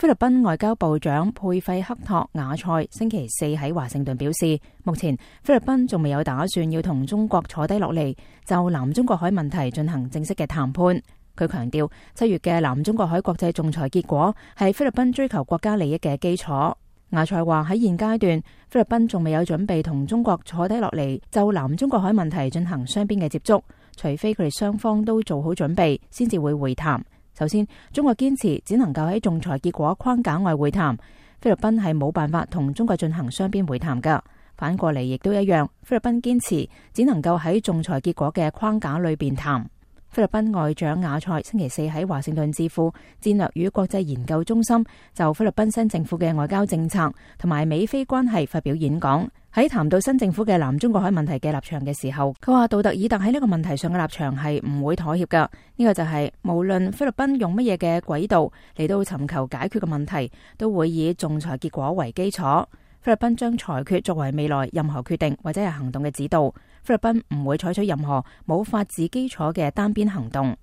菲律賓外交部長佩費克托瓦塞星期四喺華盛頓表示，目前菲律賓仲未有打算要同中國坐低落嚟就南中國海問題進行正式嘅談判。佢強調，7月嘅南中國海國際仲裁結果係菲律賓追求國家利益嘅基礎。瓦塞話喺現階段，菲律賓仲未有準備同中國坐低落嚟就南中國海問題進行雙邊嘅接觸，除非佢哋雙方都做好準備，先至會會談。首先，中國堅持只能夠喺仲裁結果框架外會談，菲律賓係冇辦法同中國進行雙邊會談㗎。反過嚟亦都一樣，菲律賓堅持只能夠喺仲裁結果嘅框架裏邊談。菲律賓外長瓦塞星期四喺華盛頓智庫戰略與國際研究中心就菲律賓新政府嘅外交政策同埋美菲關係發表演講。喺談到新政府嘅南中國海問題嘅立場嘅時候，佢話杜特爾特喺呢個問題上嘅立場係唔會妥協㗎。呢個就係無論菲律賓用乜嘢嘅軌道嚟到尋求解決嘅問題，都會以仲裁結果為基礎。菲律賓將裁決作為未來任何決定或者係行動嘅指導。菲律賓唔會採取任何冇法治基礎嘅單邊行動。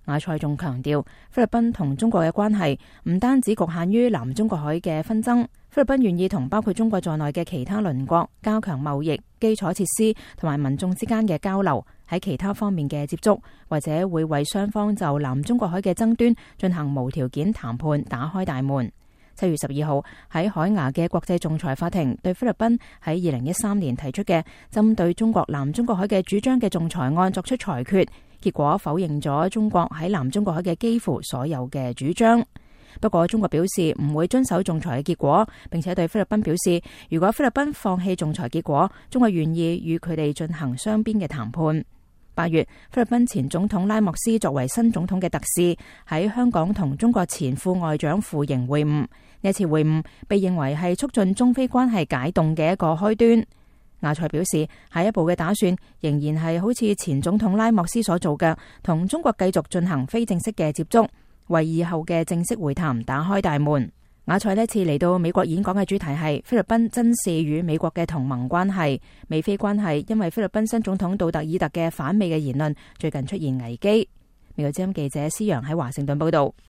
瓦塞仲強調，菲律賓同中國嘅關係唔單止局限於南中國海嘅紛爭，菲律賓願意同包括中國在內嘅其他鄰國加強貿易、基礎設施同埋民眾之間嘅交流，喺其他方面嘅接觸，或者會為雙方就南中國海嘅爭端進行無條件談判打開大門。7月12號喺海牙嘅國際仲裁法庭對菲律賓喺2013年提出嘅針對中國南中國海嘅主張嘅仲裁案作出裁決，結果否認咗中國喺南中國海嘅幾乎所有嘅主張。不過中國表示唔會遵守仲裁嘅結果，並且對菲律賓表示，如果菲律賓放棄仲裁結果，中國願意與佢哋進行雙邊嘅談判。8月，菲律賓前總統拉莫斯作為新總統嘅特使喺香港同中國前副外長傅瑩會晤。呢次會晤被認為係促進中菲關係解凍嘅一個開端。瓦塞表示，下一步嘅打算仍然係好似前總統拉莫斯所做嘅，同中國繼續進行非正式嘅接觸，為以後嘅正式會談打開大門。瓦塞呢次嚟到美國演講嘅主題係菲律賓珍視與美國嘅同盟關係。美菲關係因為菲律賓新總統杜特爾特嘅反美嘅言論，最近出現危機。美國之音記者施洋喺華盛頓報道。